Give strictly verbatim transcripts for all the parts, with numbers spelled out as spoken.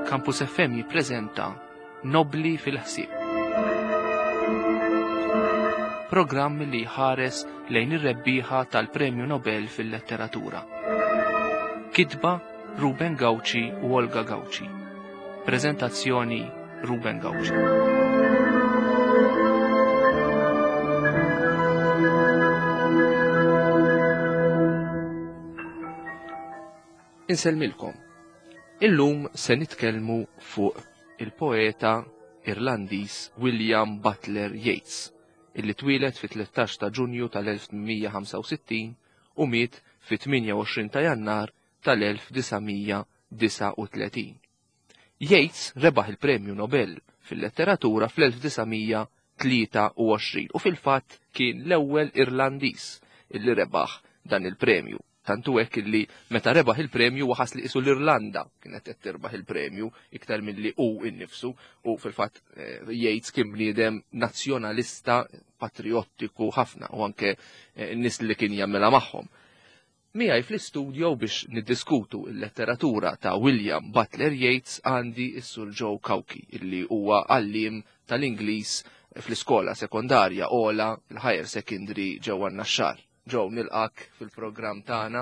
Campus F M jippreżenta Nobli fil-ħsieb. Programm li jħares lejn ir-rebbieħa tal-Premju Nobel fil-Letteratura. Kitba Ruben Gauci u Olga Gauci. Prezentazzjoni Ruben Gauci. Insellmilkom. Illum se nitkellmu fuq il-poeta Irlandiż William Butler Yeats, illi twieled fi tlettax ta' Ġunju tal-elf tmien mija ħamsa u sittin u miet fi tmienja u għoxrin ta' Jannar tal-elf disa' mija disgħa u tletin. Yeats rebaħ il-Premju Nobel fil-letteratura fl-elf disa' mija tlieta u għoxrin u fil-fatt kien l-ewwel Irlandiż illi rebaħ dan il-premju. Tantu hekk illi meta rebaħ il-premju waħas li qisu l-Irlanda kienet qed tirbaħ il-premju iktar milli hu innifsu, u fil-fatt eh, Yeats kien bniedem nazzjonalista patriottiku ħafna u anke eh, n-nies li kien jagħmilha magħhom. Miegħi fl-istudio biex niddiskutu il-letteratura ta' William Butler Yeats għandi s-Sur Joe Cauchi, illi huwa għalliem tal-Ingliż fl-iskola sekondarja ola, l-higher secondary ġewwa Naxxar. Joe, nilqak fil-programm tagħna,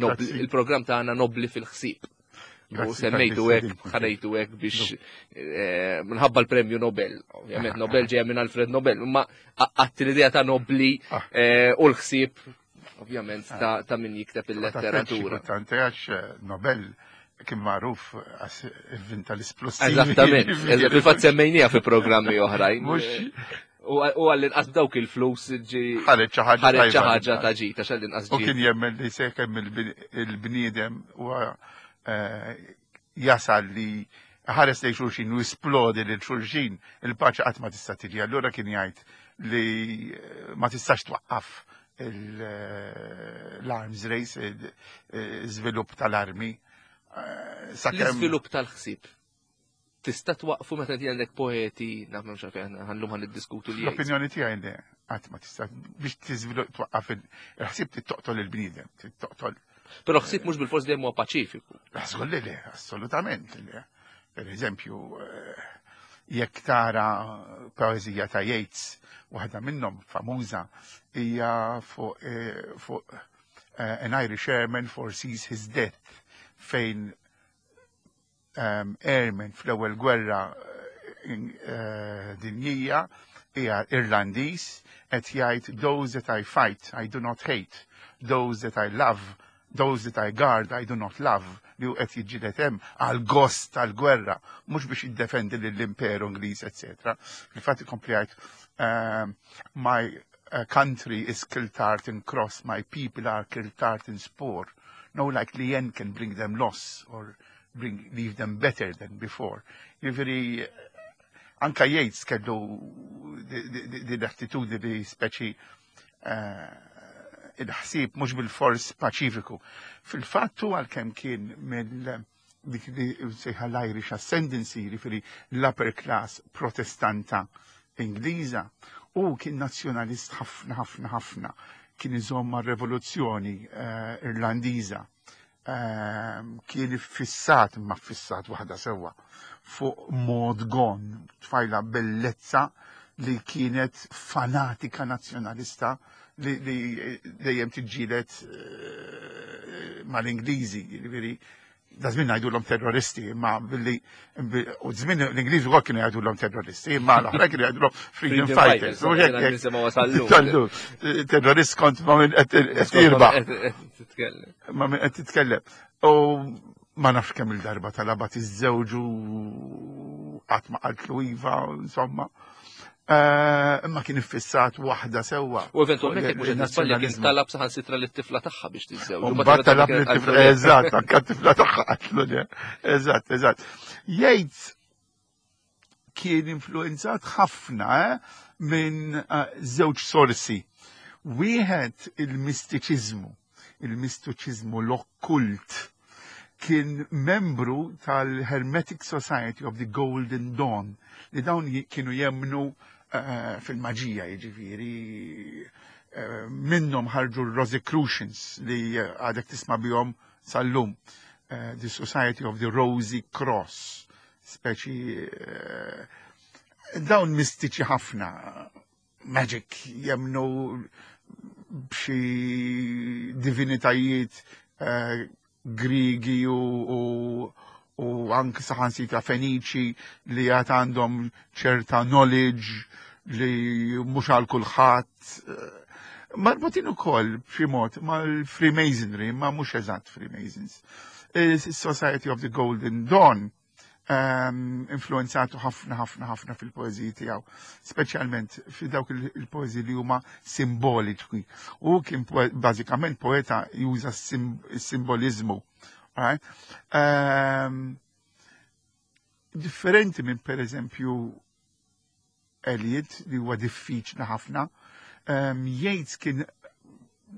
Grazzi. il-programm tagħna Nobli fil-ħsieb. U Grazzi semmejtu tal-istedina. hekk, ħanejtu hekk biex eh, minħabba l-Premju Nobel. Ovvjament Nobel ġejja minn Alfred Nobel, imma għatti l-idea ta' Nobli Ah. eh, u l-ħsieb ovvjament ta' ta' min jikteb il-letteratura. Kultant għax eh, Nobel kien magħruf għax ivvinta l-isplussivi. Eżattament, eżatt, fil-fatt semmejnija fi programmi oħrajn. Mhux U u għall-inqas dawk il-flus ġi ħareġ xi ħaġa ħareġ xi tajba. ħaġa ta' ġita, għall-inqas U ġi. kien jemmen li sakemm il-bniedem huwa eh, jasal li ħares lejn xulxin u jisplodi lil xulxin, il-paċi qatt ma tista' tiġi. Allura kien jgħid li eh, ma tistax twaqqaf il- eh, l-arms race, il-żvilupp tal-armi. Eh, Sakemm L-iżvilupp tal-ħsieb. Tista' twaqfu meta inti għandek poeti, naf m'hemmx għalfejn ħallum ħan niddiskutu li Yeats. L-opinjoni tiegħi li qatt ma tista' biex tiżvilupp twaqqaf il-ħsieb toqtol il-bniedem, toqtol. Però ħsieb mhux bil-fors dejjem huwa paċifiku. Żgur li le, assolutament li le. Per eżempju, eh, jekk tara poezija ta' Yeats, waħda minnhom famuża hija fuq eh, fuq eh, An Irish Airman Foresees His Death, fejn um, airman fl-ewwel gwerra eh, dinjija hija Irlandiż qed jgħid: "Those that I fight I do not hate, those that I love, those that I guard I do not love", li hu qed jiġġieled hemm għal gost tal-gwerra, mhux biex jiddefendi lill-Imperu Ingliż, eċetera. Fil-fatt ikompli jgħid um, "My uh, country is Kiltartan Cross, my people are Kiltartan Spoor. No likely end can bring them loss or bring, leave them better than before." Jiġifieri, anka Yeats kellu din l-attitudni li speċi eh, il-ħsieb mhux bil-fors paċifiku. Fil-fattu għalkemm kien mill dik li sejħa l-Irish Ascendancy, jiġifieri l-upper class protestanta Ingliża, u kien nazzjonalist ħafna ħafna ħafna, kien iżomm rivoluzzjoni eh, Irlandiża. Ehm, kien fissat, ma fissat waħda sewwa, fuq Maud Gonne, tfajla bellezza li kienet fanatika nazzjonalista li, li dejjem tiġġieled eh, mal-Ingliżi, jiġifieri da żmien ngħidulhom terroristi, imma billi u żmien l-Ingliżi wkoll kienu jgħidulhom terroristi, imma l-oħra kienu jgħidulhom freedom fighters. U hekk- hekk- Nisimgħu sal-lum. Tal-lum. Terrorist kont ma minn qed jirbaħ Titkellem. Ma minn qed titkellem. U ma nafx kemm il-darba talabha tiżżewġu, qatt ma qaltlu iva, insomma. Eh, Imma kien iffissat waħda sewwa. U eventualment jekk mhux qed nisbalja kien Il-nazzjonaliżmu. talab saħansitra lit-tifla tagħha biex tiżżewġ. U mbagħad talab lit-tifla, eżatt, anke t-tifla tagħha qatlu le. Eżatt, eżatt. Yeats kien influenzat ħafna eh, minn eh, żewġ sorsi. Wieħed il-mistiċiżmu, il-mistiċiżmu, l-okkult. Kien membru tal-Hermetic Society of the Golden Dawn, li dawn ji- kienu jemnu eh, fil-maġija, jiġifieri eh, minnhom ħarġu l-Rosicrucians li eh, għadek tisma' bihom sal-lum. Eh, the Society of the Rosy Cross. Speċi eh, dawn mistiċi ħafna, magic, jemmnu b'xi divinitajiet eh, Grigi u, u, u anke saħansitra Feniċi li għad għandhom ċerta knowledge li mhux għal kulħadd. Marbutin ukoll b'xi mod mal-Freemasonry, ma mhux eżatt Freemasons. Society of the Golden Dawn um, influenzatu ħafna ħafna ħafna fil-poeziji tiegħu, speċjalment fi dawk il-poeziji li huma simboliċi. U kien bażikament poeta juża s-simbolizmu. Right? Um, differenti minn per eżempju Eliot li huwa diffiċli ħafna. Um, Yeats kien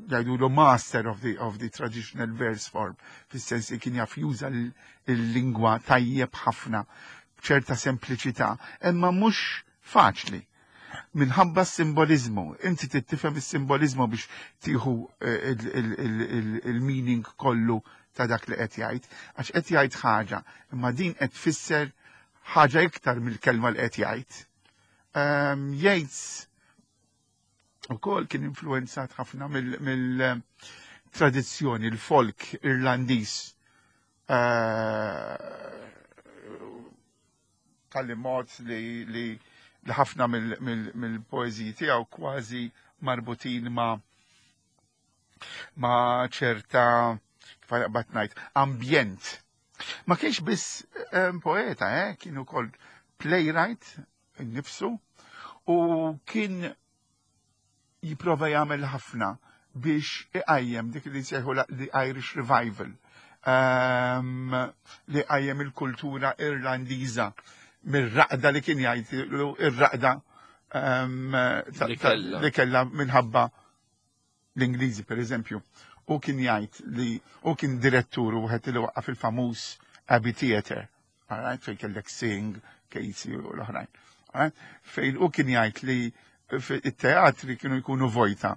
jgħidu master of the, of the traditional verse form, fis-sens li kien jaf juża l-lingwa tajjeb ħafna, b'ċerta sempliċità, imma mhux faċli. Minħabba s-simbolizmu, inti tifhem is-simbolizmu biex tieħu eh, il-meaning kollu ta' dak li qed jgħid, għax qed jgħid ħaġa, imma din qed tfisser ħaġa iktar mill-kelma li qed jgħid. Um, Yeats ukoll kien influenzat ħafna mill-tradizzjoni, il-folk Irlandiż. Uh, tal mod li, li, li ħafna mill-poeziji tiegħu kważi marbutin ma' ma' ċerta kif bat ngħid ambjent. Ma kienx biss um, poeta, eh? Kien ukoll playwright innifsu u kien jipprova jagħmel ħafna biex iqajjem dik li jsejħu the Irish Revival, um, li qajjem il-kultura Irlandiża mir-raqda li kien jgħid ir-raqda um, li kellha minħabba l-Ingliżi, per eżempju. U kien jgħid li u kien direttur u wieħed li waqqaf il-famuż Abbey Theatre, alright, fejn kellek Synge, Casey u l-oħrajn. Fejn u kien jgħid li it-teatri kienu jkunu vojta.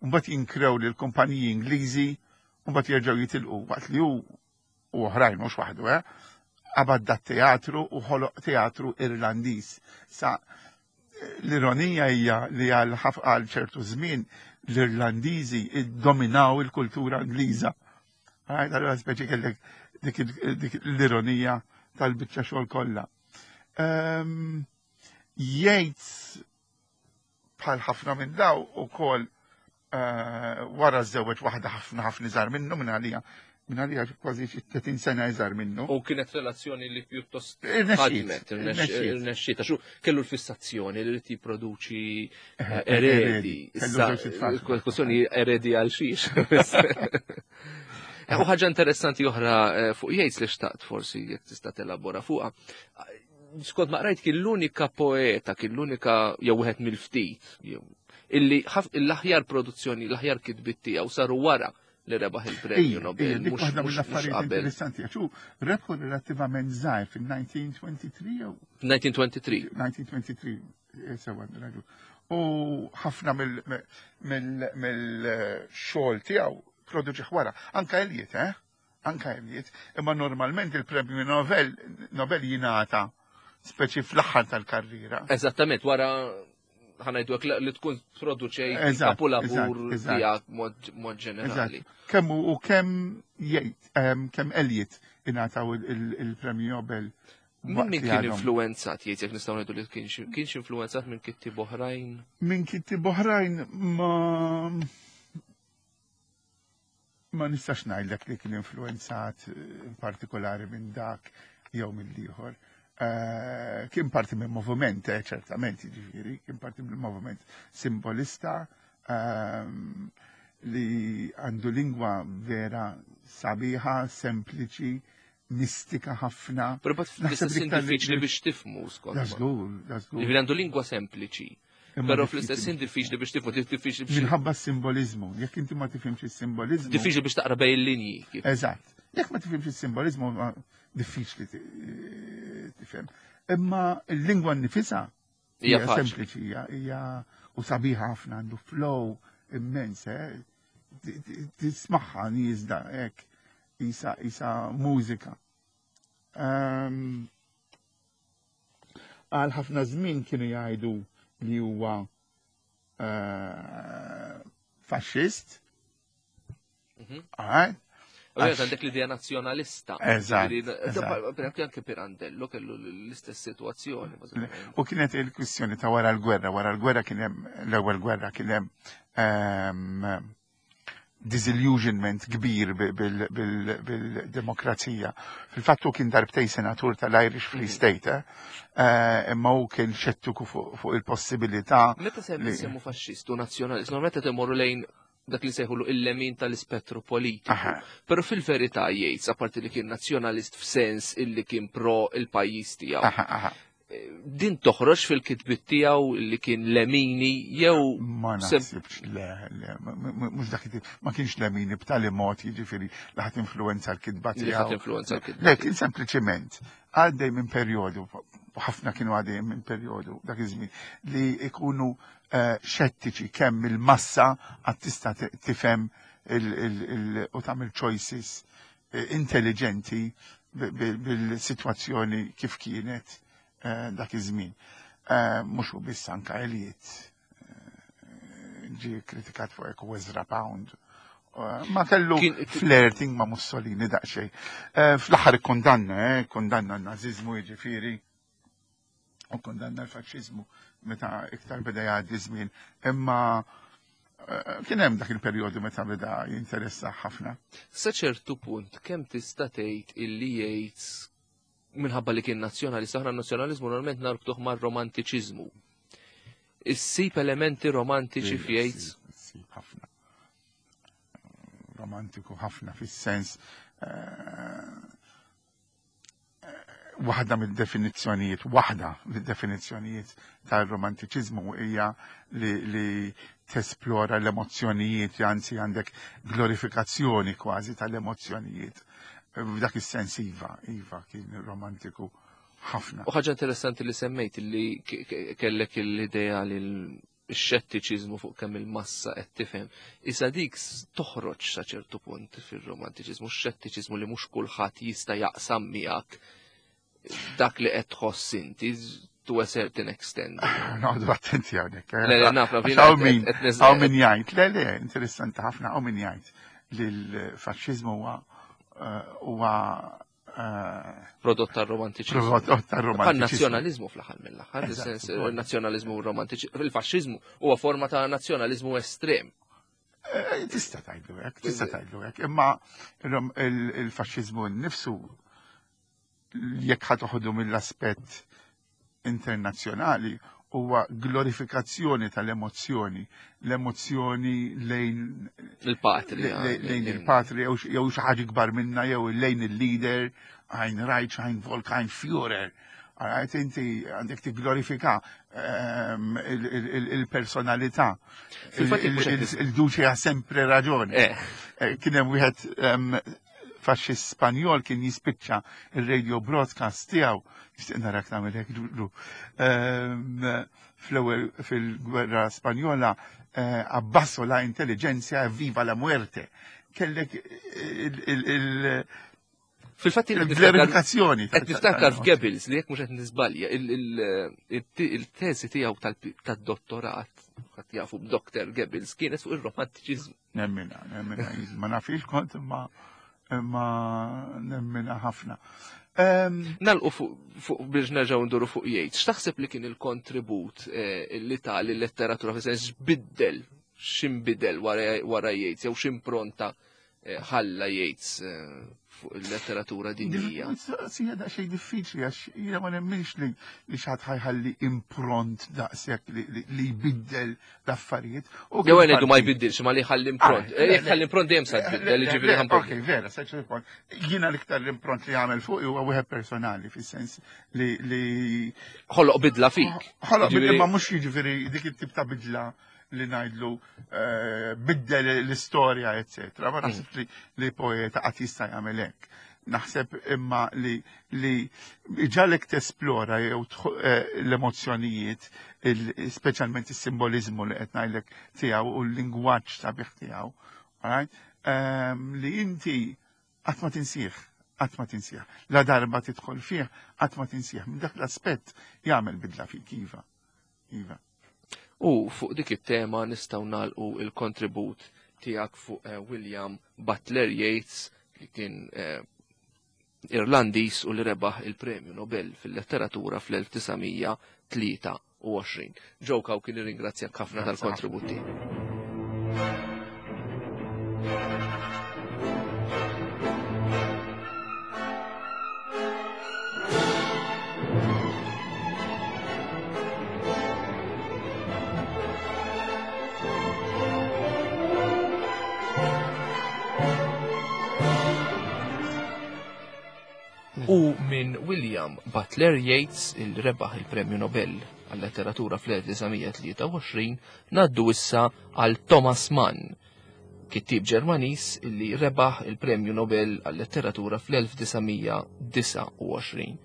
Mbagħad jinkrew lil kumpaniji Ingliżi u mbagħad jerġgħu jitilqu waqt li hu u oħrajn mhux waħdu, eh? Qabad dat teatru u ħoloq teatru Irlandiż. Sa l-ironija hija li għal għal ċertu żmien l-Irlandiżi dominaw il-kultura Ingliża. Allura speċi kellek dik l-ironija tal-biċċa xogħol kollha. Ehm, Yeats bħal ħafna minn daw ukoll eh, wara żewġ waħda ħafna ħafna iżgħar minnu, minn għalija minn għalija kważi xi tletin sena iżgħar minnu. U kienet relazzjoni li pjuttost Irnexxiet, ħadmet, irnexxiet. irnexxiet, għax hu kellu l-fissazzjoni li rid jipproduċi Eh, eredi. eredi. Kellu Issa, żewġ itfal. kwestjoni eredi għal xiex. U ħaġa interessanti oħra eh, fuq Yeats li xtaqt forsi jekk tista' telabora fuqha. Skont ma qrajt, kien l-unika poeta, kien l-unika jew wieħed mill-ftit jew illi ħaf- l-aħjar produzzjoni, l-aħjar kitbit tiegħu saru wara li rebaħ il-premju Ija, Nobel, ija, dik mhux waħda mhux- mhux mill-affarijiet qabel. interessanti, għax hu rebħu relattivament żgħir fil-elf disa' mija u tlieta u għoxrin jew elf disa' mija u tlieta u għoxrin. elf disa' mija u tlieta u għoxrin, eh, sewa raġun. U ħafna mill-xogħol tiegħu produċi wara. Anka Eliot, eh? Anka Eliot. Imma normalment il-premju Nobel, Nobel jingħata speċi fl-aħħar tal-karriera. Eżattament, wara ħa ngħidu hekk li tkun produċejt Eżatt, kapulavur eżatt, eżatt. tiegħek mod mod ġenerali. Eżatt. Kemm u u kemm jgħid, em, kemm Eliot ingħataw il- il- il-premju Nobel Min waqt min li kien għadhom. influenzat, jgħid jekk nistgħu ngħidu li kienx kienx influenzat minn kittib oħrajn? Minn kittib oħrajn ma ma nistax ngħidlek li kien influenzat eh, in partikolari minn dak jew minn ieħor. Eh, Kien parti minn moviment, eh, ċertament, jiġifieri, kien parti minn moviment simbolista ehm, li għandu lingwa vera sabiħa, sempliċi, mistika ħafna. Però bat Naħseb fl-istess iktar li- diffiċli biex tifmu skont. Da żgur, da żgur. Jiġifieri għandu lingwa sempliċi. Imma Però diffiċli fl-istess biex diffiċli biex tifmu, diffiċli biex Minħabba s-simbolizmu. Jekk inti ma tifhimx is-simbolizmu. Diffiċli biex taqra bejn il-linji. kif- Eżatt. Jekk ma tifhimx is-simbolizmu, ma diffiċli ti- tifhem. Imma l-lingwa nnifisha Hija hija faċli. sempliċi, hija hija u sabiħa ħafna, għandu flow immens, eh? Ti- ti- Tismagħha nieżla hekk isa isa mużika. Ehm, Għal ħafna żmien kienu jgħidu li huwa eh, faxxist. Mhm. Alright? Ovvijament għandek l-idea nazzjonalista. Eżatt, Ġifieri, eżatt. Per eżempju, anke Pirandello kellu l-istess situazzjoni. bażikament. U kienet il-kwistjoni ta' wara l-gwerra. Wara l-gwerra kien hemm l-ewwel gwerra kien hemm ehm, disillusionment kbir bi- bil- bil- bil-demokrazija. Fil-fatt hu kien darbtejn senatur tal-Irish Free Mhm. State, eh? Eh, imma hu kien xettiku fuq fuq il-possibilità Meta sem li- semmu faxxistu nazzjonalist, normalment qed imorru lejn dak li sejħulu il-lemin tal-ispettru politiku. Aha. Però fil-verità Yeats, apparti li kien nazzjonalist f'sens illi kien pro il-pajjiż tiegħu. Aha, aha. Din toħroġ fil-kitbit tiegħu li kien lemini jew Ma sem- naħsibx, le, le, m- m- mhux dak it-tip, ma kienx lemini b'tali mod, jiġifieri li ħadd influenza l-kitba li ħadd tiegħu. influenza l-kitba. Le, kien sempliċiment għaddej minn perjodu, ħafna kienu għaddej minn perjodu dak iż-żmien li ikunu eh, xettiċi kemm il-massa għad tista' ti- tifhem il- il- il- u tagħmel choices eh, intelligenti bi- bi- bil-sitwazzjoni kif kienet eh, dak iż-żmien. Eh, Mhux hu biss, anka Eliot eh, ġi kritikat fuq hekk u Ezra Pound. Eh, Ma kellu Kien- flirting ma' Mussolini daqsxejn. Eh, Fl-aħħar ikkundanna, eh, kondanna n-naziżmu, jiġifieri, u kondanna l-faxxiżmu meta iktar beda jgħaddi żmien. Imma eh, kien hemm dak il-perjodu meta beda jinteressa ħafna. Sa ċertu punt, kemm tista' tgħid illi Yeats, minħabba li kien nazzjonalista, aħna n-nazzjonaliżmu normalment narbtuh mar-romantiċiżmu. Issib elementi romantiċi f'Yeats? Issib ħafna. Romantiku ħafna fis-sens eh, waħda mid-definizzjonijiet, waħda mid-definizzjonijiet tal-romantiċiżmu hija li, li tesplora l-emozzjonijiet, anzi għandek glorifikazzjoni kważi tal-emozzjonijiet. F'dak is-sens iva, iva kien romantiku ħafna. U ħaġa interessanti li semmejt li ke- ke- kellek l-idea li l-xettiċiżmu fuq kemm il-massa qed tifhem. Issa dik s- toħroġ sa ċertu punt fir-romantiċiżmu, x-xettiċiżmu li mhux kulħadd jista' jaqsam miegħek dak li qed tħoss inti to a certain extent. Noqogħdu attenti hawnhekk. eh. Le, le, naf, naf, Għax jiena hawn min qed- qed neż- hawn min jgħid, le, le, interessanti ħafna, hawn min jgħid li l-faxxiżmu huwa eh, huwa eh, Prodott tar-romantiċiżmu. prodott Bħal tar-romantiċiżmu. nazzjonalizmu fl-aħħar mill-aħħar, Eżatt, fis-sens ukoll. il-nazzjonalizmu romantiċi, il-faxxiżmu huwa forma ta' nazzjonalizmu estrem. Eh, Tista' tgħidlu hekk, tista' tgħidlu hekk, imma il- il- il-faxxiżmu nnifsu, jekk ħa toħodu mill-aspett internazzjonali, huwa glorifikazzjoni tal-emozzjoni, l-emozzjoni lejn Il-patria. le- lejn il-patria jew xi- jew xi ħaġa kbar minna jew lejn il-leader, ein Reich, ein Volk, ein Führer. Għajt inti għandek tigglorifika ehm, il- il- il- il-personalità. Fil-fatt Il- mhux il- qed Il Duce ha sempre ragione. Eh, Eh, Kien hemm wieħed ehm, faxxist Spanjol kien jispiċċa il-radio broadcast tiegħu, nixtieq narak tagħmel hekk, Ġulju. Ehm, Fl-ewwel fil-gwerra Spanjola, eh, "Abajo la intelligentsia e viva la muerte". Kellek il- il- il- Fil-fatt jien qed niftakar il-glorifikazzjoni. qed niftakar f'Goebbels li, jekk mhux qed niżbalja, il-teżi tiegħu tad-dottorat, ħadd jafu b'Doktor Goebbels, kienet fuq ir-romantiċiżmu. Nemmina, nemmina, ma nafix kont imma imma nemmina ħafna. Ehm, Nagħlqu fuq fuq biex nerġgħu nduru fuq Yeats. X'taħseb li kien il-kontribut eh, li ta l-letteratura, fi sens biddel, x'inbidel wara wara Yeats jew x'impronta eh, ħalla Yeats eh, fuq il-letteratura dinjija? Sija daqsxejn diffiċli għax jiena ma nemminx li li xi ħadd ħa jħalli impront daqshekk li, li, li jbiddel l-affarijiet. U Jew kien ngħidu ma parti- jbiddilx, ma li ħalli impront. Ah, le, Jekk ħalli impront dejjem sa tbiddel, Le, jiġifieri le, ħampont. Ok, vera, sa ċertu punt. Jiena l-iktar l-impront li għamel fuq huwa wieħed personali, fis-sens li li Ħoloq bidla fik. Ħoloq Jiġifieri- imma mhux jiġifieri dik it-tip ta' bidla li ngħidlu eh, biddel l-istorja, eccetera. Ma naħseb li, li poeta qatt jista' jagħmel hekk. Naħseb imma li li ġalek tesplora jew tħu- eh, l-emozzjonijiet, il- speċjalment is-simbolizmu li qed ngħidlek tiegħu u l-lingwaġġ sabiħ tiegħu, alright? Ehm, li inti qatt ma tinsih, Qatt ma tinsih. La darba tidħol fih, qatt ma tinsih. Minn dak l-aspett jagħmel bidla fik, iva. Iva. U fuq dik it-tema nistgħu nagħlqu il-kontribut tiegħek fuq eh, William Butler Yeats li kien eh, Irlandiż u li rebaħ il-Premju Nobel fil-letteratura fl-elf disa' mija tlieta u għoxrin. Joe Cauchi, nirringrazzjak ħafna Grazzi tal-kontribut ħafna. tiegħek. U minn William Butler Yeats, il rebaħ il-Premju Nobel għal-letteratura fl-elf disa' mija tlieta u għoxrin, naddu issa għal Thomas Mann, kittieb Ġermaniż illi rebaħ il-Premju Nobel għal-letteratura fl-elf disa' mija disa' u għoxrin.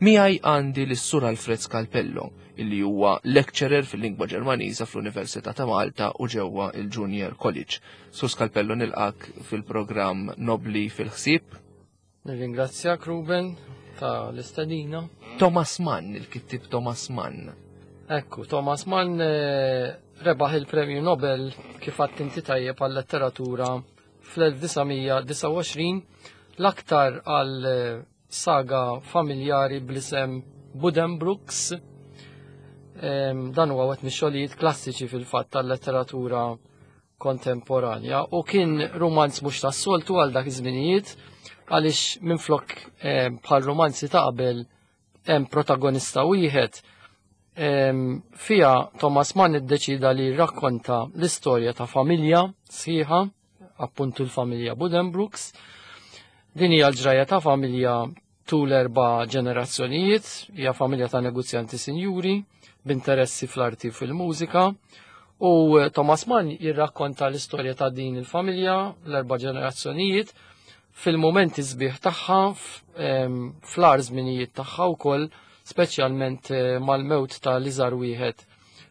Miegħi għandi lis-Sur Alfred Scalpello, illi huwa lecturer fil-lingwa Ġermaniża fl-Università ta' Malta u ġewwa il-Junior College. Sur Scalpello, nilqak fil-programm Nobli fil-ħsieb. Nirringrazzjak, Ruben, ta' l-istedina. Thomas Mann, il-kittib Thomas Mann. Ekku, Thomas Mann, eh, rebaħ il-Premju Nobel kif għadt inti tajjeb għal-letteratura fl-elf disa' mija disa' u għoxrin, l-aktar għal, eh, saga familjari bl-isem Buddenbrooks. Em, dan huwa wieħed mix-xogħlijiet klassiċi fil-fatt tal-letteratura kontemporanja u kien romanz mhux tas-soltu għal dak iż-żminijiet, għaliex minflok, eh, bħal romanzi ta' qabel hemm protagonista wieħed, em, fija Thomas Mann iddeċida li rrakkonta l-istorja ta' familja sħiħa, appuntu l-familja Buddenbrooks. Din hija l-ġrajja ta' familja tul erba' ġenerazzjonijiet, hija familja ta' negozjanti sinjuri, b'interessi fl-arti u fil-mużika. U Thomas Mann jirrakkonta l-istorja ta' din il-familja, l-erba' ġenerazzjonijiet, fil-momenti sbieħ tagħha, f-, em, fl-agħar żminijiet tagħha wkoll, speċjalment, eh, mal-mewt ta' l-iżgħar wieħed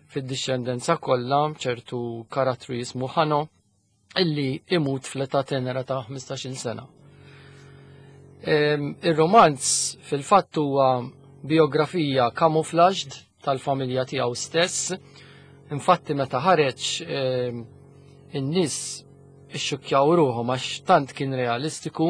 fid-dixxendenza kollha, ċertu karattru jismu Hanno, illi imut fl-età tenera ta' ħmistax-il sena. Em, ir-romanz fil-fatt huwa biografija camouflaged tal-familja tiegħu stess. Infatti meta ħareġ, em, in-nies ixxukkjaw ruħhom għax tant kien realistiku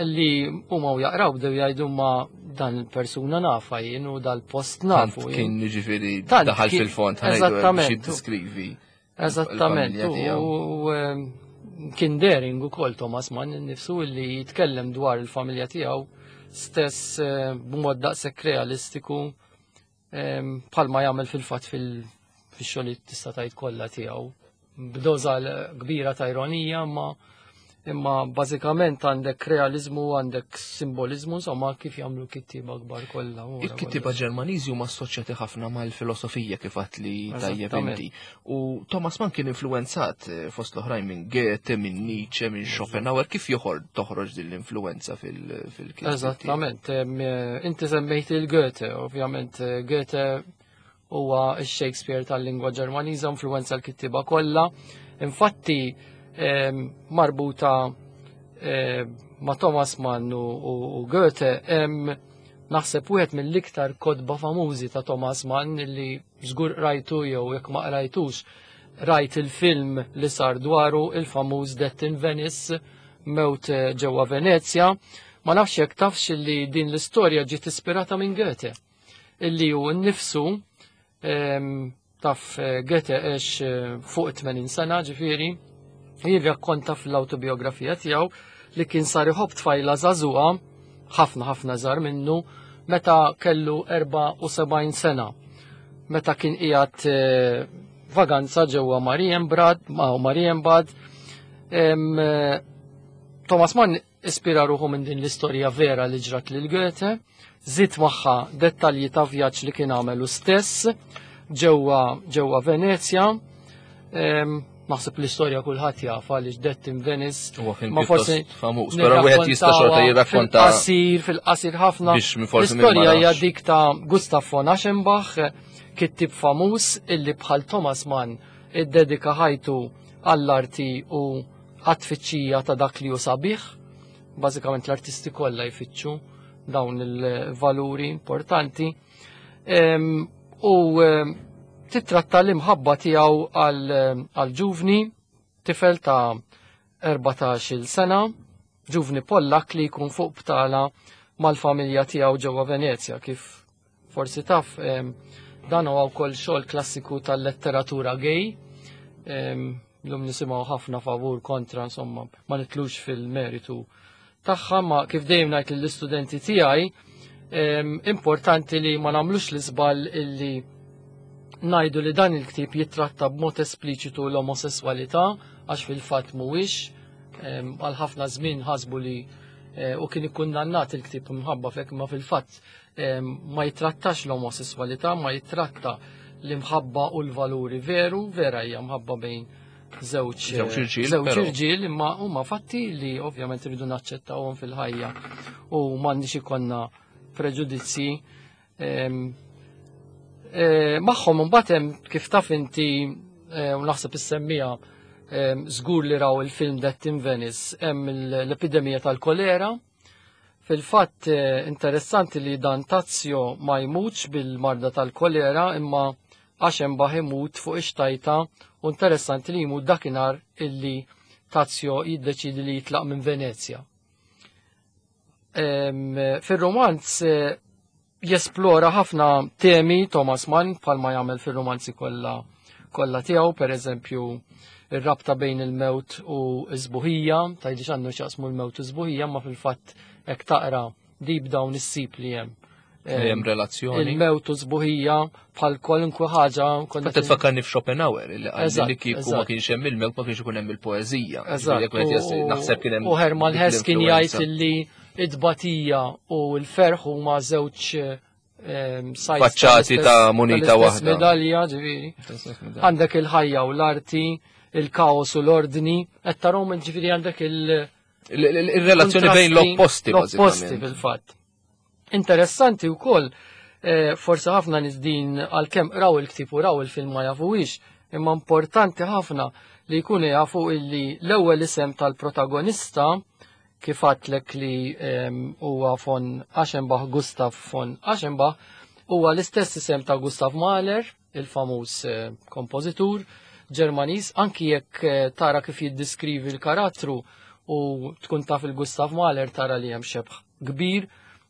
li huma u jaqraw bdew jgħidu ma dan il-persuna nafa jien u dal-post Tant nafu jien. kien jiġifieri Tant daħal kien fil-fond, ħa ngħidu hekk biex Eżattament. jiddeskrivi Eżattament, il-familja tiegħu. u, em, kien daring ukoll Thomas Mann innifsu li jitkellem dwar il-familja tiegħu stess, eh, b'mod daqshekk realistiku, em, bħalma jagħmel fil-fatt fil-, fix-xogħlijiet tista' tgħid kollha tiegħu. B'doża kbira ta' ironija, imma, imma bażikament għandek realizmu, għandek simbolizmu, insomma kif jagħmlu kittieba kbar kollha, wara Il-kittieba kollox. Ġermaniżi huma assoċjati ħafna mal-filosofija kif għadt li tajjeb Eżattament. inti. U Thomas Mann kien influenzat, eh, fost l-oħrajn minn Goethe, minn Nietzsche, minn Schopenhauer. Kif joħor-, toħroġ din l-influenza fil-, fil-kittieb? Eżattament. Em, eh, inti semmejt il-Goethe, ovvjament, eh, Goethe huwa x-Shakespeare tal-lingwa Ġermaniża, influenza l-kittieba kollha. Infatti, em, marbuta, em, ma' Thomas Mann u, u, u Goethe, em, naħseb wieħed mill-iktar kotba famużi ta' Thomas Mann li żgur rajtu jew jekk ma qrajtux, rajt il-film li sar dwaru, il-famuż Death in Venice, mewt ġewwa Venezja. Ma nafx jekk tafx li din l-istorja ġiet ispirata minn Goethe, illi hu nnifsu, em, taf, eh, Goethe għex, eh, fuq tmenin sena, ġifieri, jirrakkonta fl-autobiografija tiegħu li kien sar iħobb tfajla żagħżugħa, ħafna ħafna żgħar minnu, meta kellu erba' u sebgħin sena. Meta kien qiegħed, eh, vaganza ġewwa Marienbad, ma' Marienbad, em, eh, Thomas Mann ispira ruħu minn din l-istorja vera li ġrat lil Goethe, żied magħha dettalji ta' vjaġġ li kien għamel hu stess ġewwa, ġewwa Venezja. Em, naħseb l-istorja kulħadd jaf għaliex Death in Venice Huwa film ma forsi pjuttost famuż, però wieħed jista' xorta jirrakkonta fil-qasir, fil-qasir ħafna. biex minn forsi min ma L-istorja hija nafx. dik ta' Gustav von Aschenbach, kittib famuż illi bħal Thomas Mann iddedika ħajtu għall-arti u għat-tfittxija ta' dak li hu sabiħ, Bażikament l-artisti kollha jfittxu dawn il-valuri importanti. Em, U em, titratta l-imħabba tiegħu għal ġuvni, tifel ta' erbatax-il sena, ġuvni Pollak li jkun fuq btala mal-familja tiegħu ġewwa Venezja. Kif forsi taf, em, dan huwa wkoll xogħol klassiku tal-letteratura gay. Em, Llum nisimgħu ħafna favur kontra, insomma, ma nitlux fil-meritu tagħha, ma kif dejjem ngħid lill-istudenti tiegħi, em, importanti li ma nagħmlux l-iżball illi ngħidu li dan il-ktieb jitratta b'mod espliċitu l-omosessualità, għax fil-fatt mhuwiex. Em, Għal ħafna żmien ħasbu li eh, u kien ikkundannat il-ktieb minħabba f'hekk, ma fil-fatt em, ma jitrattax l-omosessualità, ma jitratta l-imħabba u l-valuri veru, vera hija mħabba bejn żewġ Żewġ irġiel, żewġ però. irġiel, imma huma fatti li ovvjament irridu naċċettawhom fil-ħajja u m'għandniex ikollna preġudizzji. Em, eh, Magħhom imbagħad hemm, kif taf inti eh, u naħseb issemmija em, żgur li raw il-film Death in Venice, hemm l-epidemija tal-kolera. Fil-fatt eh, interessanti li dan Tazio ma jmutx bil-marda tal-kolera, imma Aschenbach imut fuq ix-xtajta, u interessanti li jmut dakinhar illi Tazio jiddeċidi li jitlaq minn Venezja. Em, Fir-romanz eh, jesplora ħafna temi Thomas Mann, bħalma jagħmel fir-romanzi kollha kollha tiegħu, per eżempju ir-rabta bejn il-mewt u s-sbuħija, tgħidli x'għandu x'jaqsmu l-mewt u s-sbuħija, ma fil-fatt hekk taqra deep down issib li hemm. Hemm relazzjoni. Il-mewt u s-sbuħija bħal kwalunkwe ħaġa. konna Fatt tfakkarni f'Schopenhauer li qal Eżatt, li kieku ma eżatt. kienx hemm il-mewt ma kienx ikun hemm il-poeżija. Eżatt. Ġifieri jekk wieħed jas- naħseb kien hemm U Hermann dik Hesse kien jgħid l-influenza. illi id-batija u l-ferħ huma żewġ ehm, sides Faċċati tal-istess- ta' munita tal-istess waħda. medalja, ġifieri. Għandek il-ħajja u l-arti, il-kaos u l-ordni, qed tarahom, ġifieri għandek il- Il- il- Il-relazzjoni bejn l-opposti, L-opposti bażikament. fil-fatt. Interessanti wkoll, eh, forsi ħafna nies din għalkemm raw il-ktieb u raw il-film ma jafuhiex, imma importanti ħafna li jkunu jafu illi l-ewwel isem tal-protagonista, kif għedtlek li em, huwa von Aschenbach, Gustav von Aschenbach, huwa l-istess isem ta' Gustav Mahler, il-famuż eh, kompożitur Ġermaniż, anki jekk eh, tara kif jiddiskrivi l-karattru u tkun taf il-Gustav Mahler tara li hemm xebħ kbir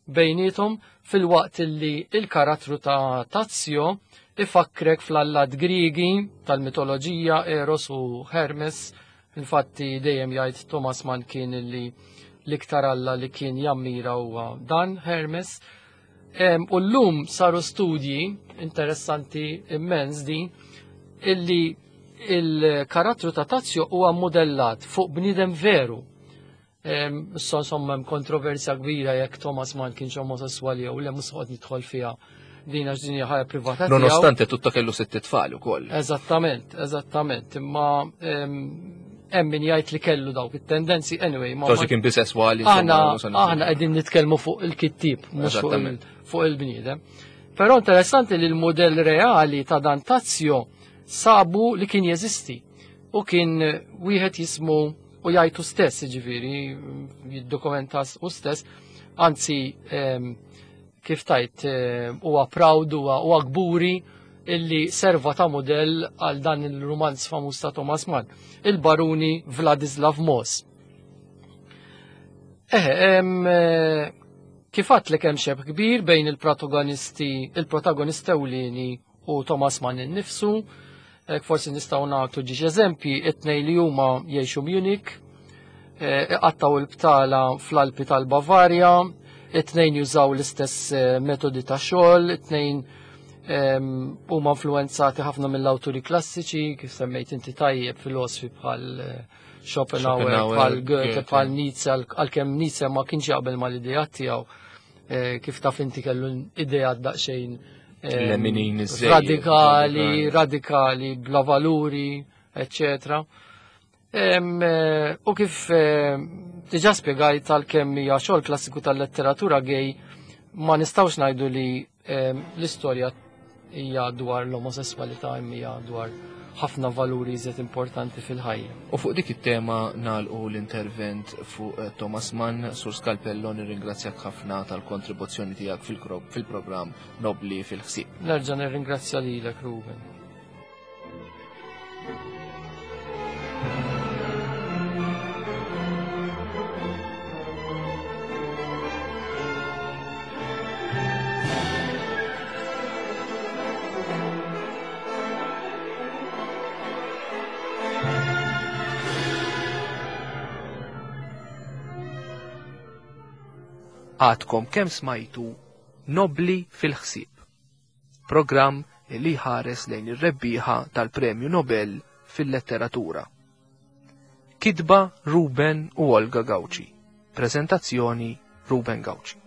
bejnietom, fil-waqt li il-karattru ta' Tazio ifakkrek fl-allat Grigi tal-mitoloġija Eros u Hermes. Infatti dejjem jgħid Thomas Mann kien li l-iktar alla li kien jammira huwa dan Hermes. Em, U llum saru studji interessanti immens din illi il-karattru ta' Tazio huwa modellat fuq bniedem veru. Em, Issa insomma hemm kontroversja kbira jekk Thomas Mann kienx omosessuali jew le, mhux noqgħod nidħol fiha din għax din hija ħajja privata tiegħu. Nonostante tutto kellu sitt tfal ukoll. Eżattament, eżattament, imma em, hemm min jgħid li kellu dawk it-tendenzi, anyway, ma Forsi kien bisessuali. aħna insomma, mhux għandna- aħna qegħdin nitkellmu fuq il-kittib, mhux fuq il- Eżattament. fuq il-bniedem. Però interessanti li l-modell reali ta' dan Tazio sabu li kien jeżisti u kien wieħed jismu u jgħidu stess, ġifieri, jiddokumenta u stess, anzi em, kif tajt eh, huwa proud, huwa huwa kburi illi serva ta' modell għal dan il-romanz famuż ta' Thomas Mann, il-baruni Vladislav Moss. Eħe, em, eh, kif għedtlek hemm xebh kbir bejn il-protagonisti, il-protagonist ewlieni u Thomas Mann innifsu. Hekk forsi nistgħu nagħtu ġiex eżempji, it-tnejn li huma jgħixu Munich, eh, iqattaw il-btala fl-Alpi tal-Bavarja, it-tnejn jużaw l-istess eh, metodi ta' xogħol, it-tnejn em, huma influenzati ħafna mill-awturi klassiċi, kif semmejt inti tajjeb, filosofi bħal eh, Schopenhauer, Schopenhauer, bħal Goethe, Goethe. bħal Nietzsche, għal- għalkemm Nietzsche ma kienx jaqbel mal-idejat tiegħu, eh, kif taf inti kellu idejat daqsxejn em, Leminin iżżejjed, radikali, radikali. radikali, bla valuri, eccetera. Em, eh, U kif eh, diġà spjegajt, għalkemm hija xogħol klassiku tal-letteratura gay, ma nistgħux ngħidu li em, l-istorja hija dwar l-omosessualità, imma hija dwar ħafna valuri iżjed importanti fil-ħajja. U fuq dik it-tema nagħlqu l-intervent fuq eh, Thomas Mann. Sur Scalpello, nirringrazzjak ħafna tal-kontribuzzjoni tiegħek fil-programm Nobli fil-ħsieb. Nerġa' nirringrazzja lilek, Ruben. Għadkom kemm smajtu Nobli fil-ħsieb, programm li ħares lejn ir-rebbieħa tal-Premju Nobel fil-Letteratura. Kitba Ruben u Olga Gauci. Prezentazzjoni Ruben Gauci.